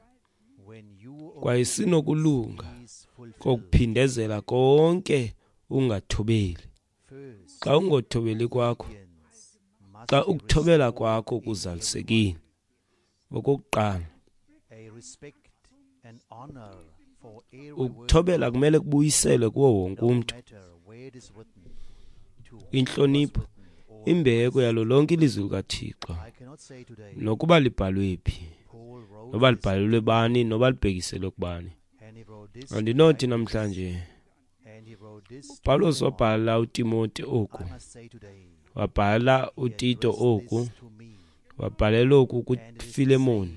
kwaye sinokulunga kokuphindezela konke ungathobeli. Xa ungothobeli kwakho, xa ukuthobela kwakho kuzalisekile, okokuqala ukuthobela kumele kubuyiselwe kuwo wonke umntu. Intlonipho, imbeko yalo lonke ilizwi likaThixo, nokuba libhalwe phi, noba libhalelwe bani, noba libhekiselwe kubani. Andinothi namhlanje uPawulos wabhala uTimoti oku, wabhala uTito oku, wabhalela oku kuFilemoni.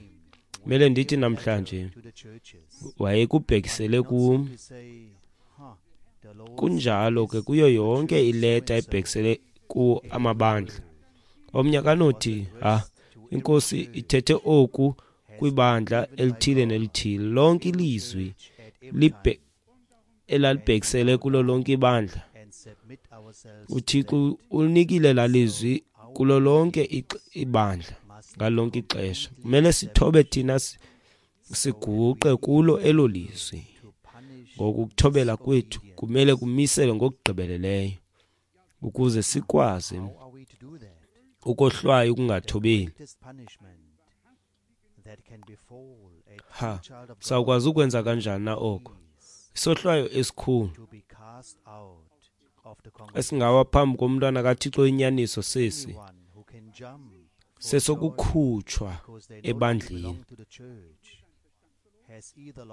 Kumele ndithi namhlanje wayekubhekisele kum. Kunjalo ke kuyo yonke ileta ebhekisele ku amabandla. Omnye akanothi, iNkosi ithethe oku kwibandla elithile nelithile. Lonke ilizwi elalibhekisele kulo lonke ibandla, uThixo ulinikile laa lizwi kulo lonke ibandla. Ngalo lonke ixesha kumele sithobe thina siguqe kulo elo lizwi. Ngokuthobela kwethu kumele kumiselwe ngokugqibeleleyo ukuze sikwazi ukohlwaya ukungathobeli. Ha, sawukwazi ukwenza kanjani na oko? Isohlwayo esikhulu esingawa phambi komntwana kaThixo inyaniso sesi sesokukhutshwa ebandleni.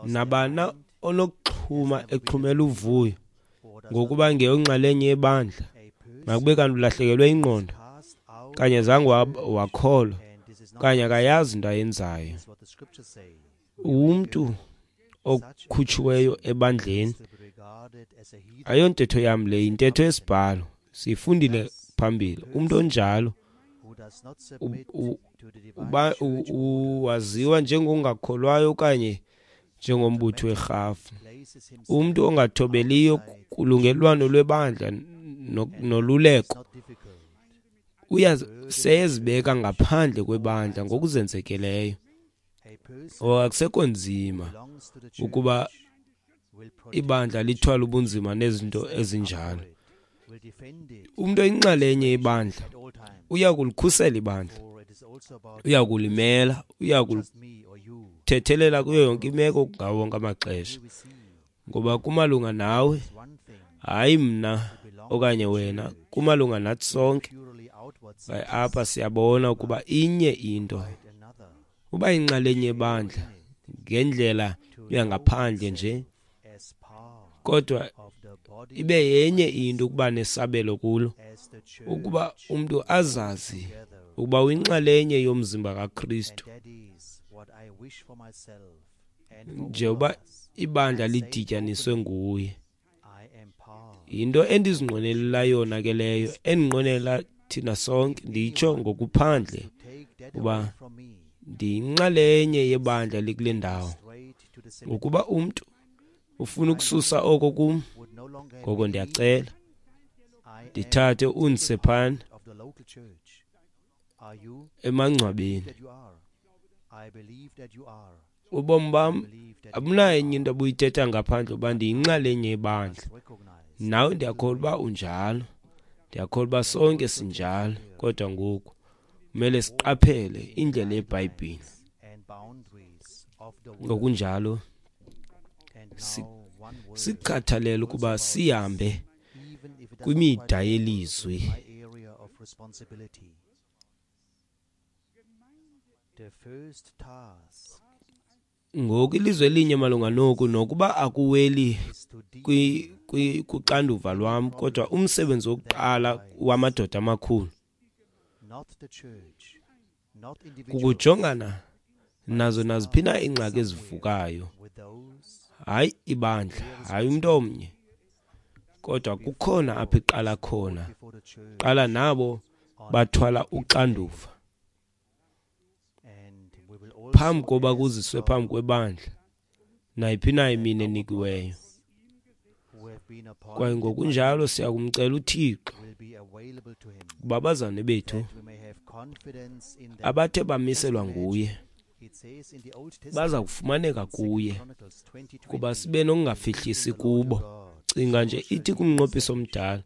Nabana onokuxhuma exhumela uvuyo ngokuba ngeyonxalenye yebandla, makube kanti ulahlekelwe ingqondo kanye zange wakholwa kanye akayazi into ayenzayo. Umntu okhutshiweyo ebandleni, ayontetho yam le, yintetho yesibhalo, siyifundile phambili. Umntu onjalo waziwa njengongakholwayo okanye njengombutho werhafu. Umntu ongathobeliyo kulungelwano lwebandla noluleko seyezibeka ngaphandle kwebandla ngokuzenzekeleyo. Akusekho nzima ukuba ibandla lithwale ubunzima nezinto ezinjalo. Umntu oyinxalenye yebandla uya kulikhusela ibandla, uya kulimela, uya kulithethelela kuyo yonke imeko ngawo wonke amaxesha. Ngoba kumalunga nawe, hayi mna okanye wena, kumalunga nathi sonke. Apha siyabona ukuba inye into, uba inxalenye yebandla ngendlela yangaphandle nje, kodwa ibe yenye into ukuba nesabelo kulo, ukuba umntu azazi ukuba uyinxalenye yomzimba kaKristu. Njengoba ibandla lidityaniswe nguye. Yinto endizinqwenelela yona ke leyo, endinqwenela thina sonke, nditsho ngokuphandle uba ndiyinxalenye yebandla likule ndawo. Ukuba umntu ufuna ukususa oko kum, ngoko ndiyacela ndithathe undise phana emangcwabeni. Ubomi bam abunayo enye into abuyithetha ngaphandle uba ndiyinxalenye yebandla. Nawe ndiyakholwa uba unjalo, ndiyakholwa uba sonke sinjalo, kodwa ngoku kumele siqaphele indlela yeBhayibhile. Ngokunjalo sikhathalele ukuba sihambe kwimida yelizwi. Ngoku ilizwe elinye malunga noku, nokuba akuweli kuxanduva lwam, kodwa umsebenzi wokuqala wamadoda amakhulu kukujongana nazo naziphi na iingxaki ezivukayo. Hayi ibandla, hayi umntu omnye, kodwa kukhona apho iqala khona. Qala nabo bathwala uxanduva phambi koba kuziswe phambi kwebandla nayiphi na imini enikiweyo. Kwaye ngokunjalo siyakumcela uThixo ukuba abazalwane bethu abathe bamiselwa nguye baza kufumaneka kuye, kuba sibe nokungafihlisi kubo. Cinga nje ithi kumnqophiso omdala,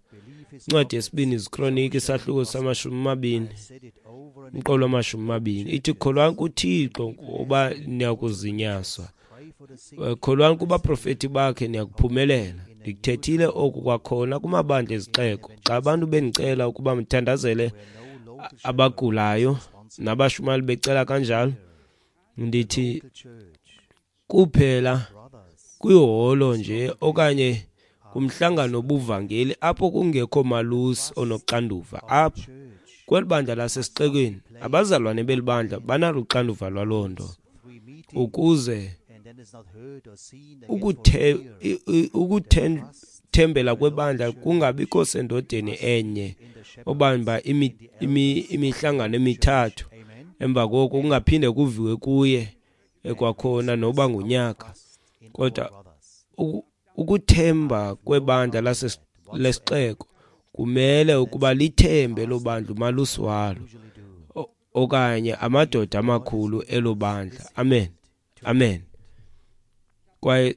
incwadi yesibini iziKroniki isahluko sama-20, umqolo wama-20, ithi kholwani kuThixo ngoba niyakuzinyaswa, kholwani kubaprofeti bakhe niyakuphumelela. Ndikuthethile oku kwakhona kumabandla ezixeko, xa abantu bendicela ukuba mthandazele abagulayo nabashumayeli becela kanjalo, ndithi kuphela kwiholo nje okanye kumhlangano wobuvangeli apho kungekho malusi onoxanduva. Apha kweli bandla lasesixekweni abazalwane beli bandla banalo uxanduva lwaloo nto, ukuze ukuthembela kwebandla kungabikho sendodeni enye obamba imihlangano emithathu, emva koko kungaphinde kuviwe kuye ekwakhona noba ngunyaka. Kodwa ukuthemba kwebandla lesixeko kumele ukuba lithembe loo bandla umalusi walo. okanye amadoda amakhulu elo bandla. Amen, amen. Kwaye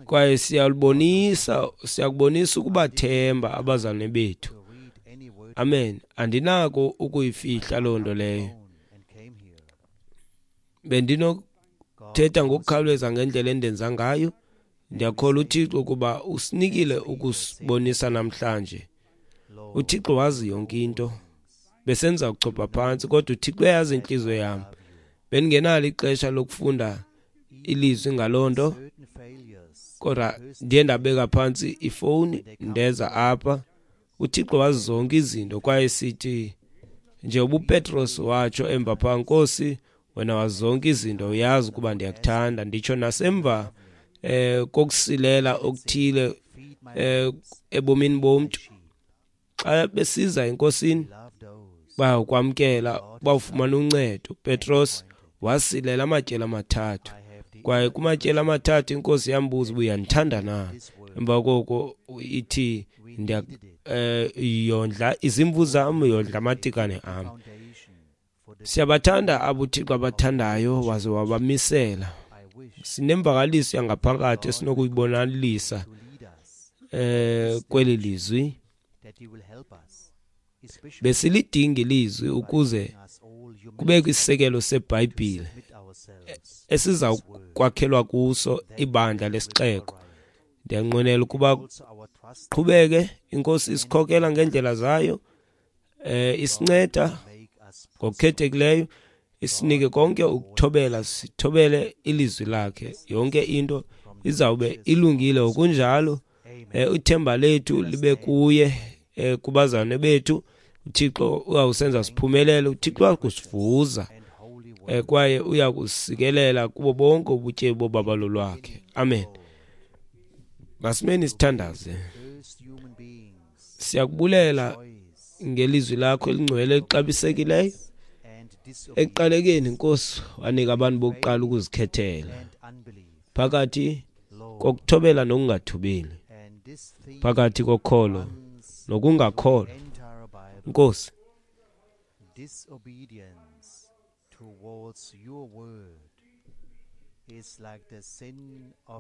kwaye siyalubonisa, siyakubonisa ukubathemba abazalwane bethu. Amen. Andinako ukuyifihla loo nto leyo. Bendinokuthetha ngokukhawuleza ngendlela endenza ngayo. Ndiyakholwa uThixo ukuba usinikile ukusibonisa namhlanje. UThixo wazi yonke into. Besenza ukuchopha phantsi, kodwa uThixo uyayazi intliziyo yam. Bendingenalo ixesha lokufunda ilizwi ngaloo nto, kodwa ndiye ndabeka phantsi ifowuni ndeza apha. UThixo wazi zonke izinto, kwaye sithi nje ubuPetros watsho emva phaa, Nkosi, wena wazi zonke izinto, uyazi ukuba ndiyakuthanda. Nditsho nasemva kokusilela okuthile ebomini bomntu, xa besiza eNkosini bayakwamkela, bawufumana uncedo. Petros wasilela amatyeli amathathu, kwaye kumatyeli amathathu iNkosi yambuza uba uyandithanda na. Emva koko ithi yondla izimvu zam, yondla amatikane am. Siyabathanda abo uThixo abathandayo waze wabamisela. Sinemvakaliso yangaphakathi esinokuyibonalisa kweli lizwi. Besilidinga ilizwi ukuze kubekho isisekelo seBhayibhile esiza kwakhelwa kuso ibandla lesixeko. Ndiyanqwenela ukuba qhubeke iNkosi isikhokela ngendlela zayo, isinceda ngokukhethekileyo, isinike konke ukuthobela, sithobele ilizwi lakhe. Yonke into izawube ilungile ngokunjalo. Ithemba lethu libe kuye, kubazalwane bethu. uThixo uyawusenza siphumelele, uThixo uyakusivuza, kwaye uyakusikelela kubo bonke ubutyebi bobabalo lwakhe. Amen. Masimeni sithandaze. Siyakubulela ngelizwi lakho elingcwele elixabisekileyo. Ekuqalekeni, Nkosi, wanika abantu bokuqala ukuzikhethela phakathi kokuthobela nokungathobeli, phakathi kokholo nokungakholwa. Nkosi,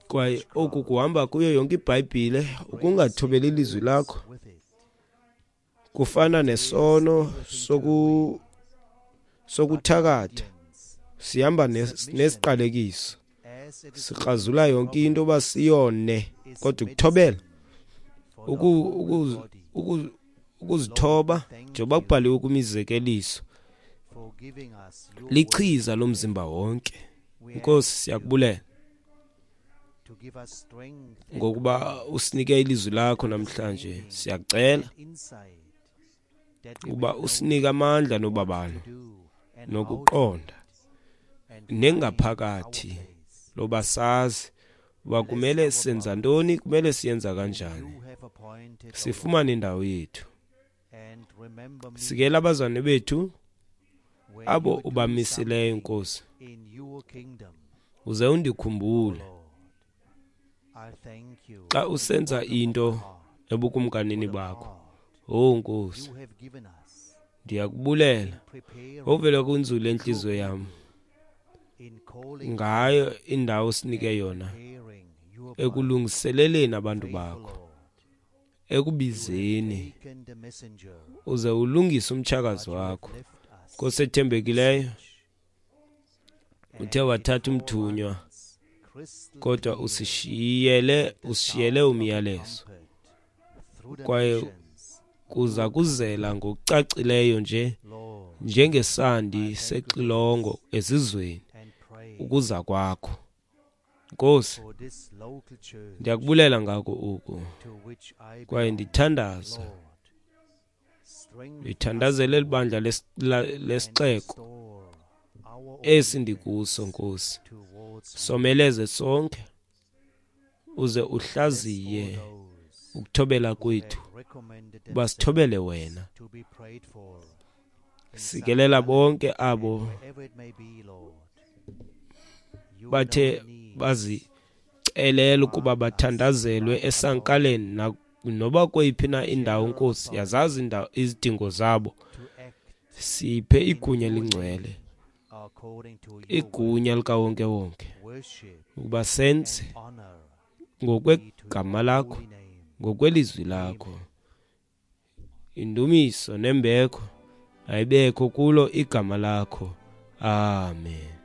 kwaye oku kuhamba kuyo yonke iBhayibhile, ukungathobeli ilizwi lakho kufana nesono sokuthakatha. Sihamba nesiqalekiso, sikrazula yonke into uba siyone, kodwa ukuthobela, ukuzithoba, njengoba kubhaliwe kwimizekeliso, lichiza lomzimba wonke. Nkosi, siyakubulela ngokuba usinike ilizwi lakho namhlanje. Siyacela ukuba usinike amandla nobabalo nokuqonda nengaphakathi loba sazi uba kumele senza ntoni, kumele siyenza kanjani, sifumane indawo yethu. Sikela abazalwane bethu abo ubamisileyo, Nkosi, uze undikhumbule xa usenza into ebukumkanini bakho. Oh Nkosi, ndiyakubulela ovela kwinzulu entliziyo yam ngayo indawo osinike yona ekulungiseleleni abantu bakho, ekubizeni, uze ulungise umtshakazi wakho. Nkosi ethembekileyo, uthe wathatha umthunywa, kodwa usishiyele umyalezo, kwaye kuza kuzela ngokucacileyo nje njengesandi sexilongo ezizweni ukuza kwakho. Nkosi, ndiyakubulela ngako oku, kwaye ndithandaza, ndithandazele eli bandla lesixeko esi ndikuso. Nkosi, someleze sonke, uze uhlaziye ukuthobela kwethu, uba sithobele wena. Sikelela bonke abo bathe bazicelela ukuba bathandazelwe esankaleni Noba kweyiphi na indawo, Nkosi, yazazi izidingo zabo. Siphe igunya elingcwele, igunya likawonkewonke, ukuba senze ngokwegama lakho, ngokwelizwi lakho. Indumiso nembeko ayibekho kulo igama lakho. Amen.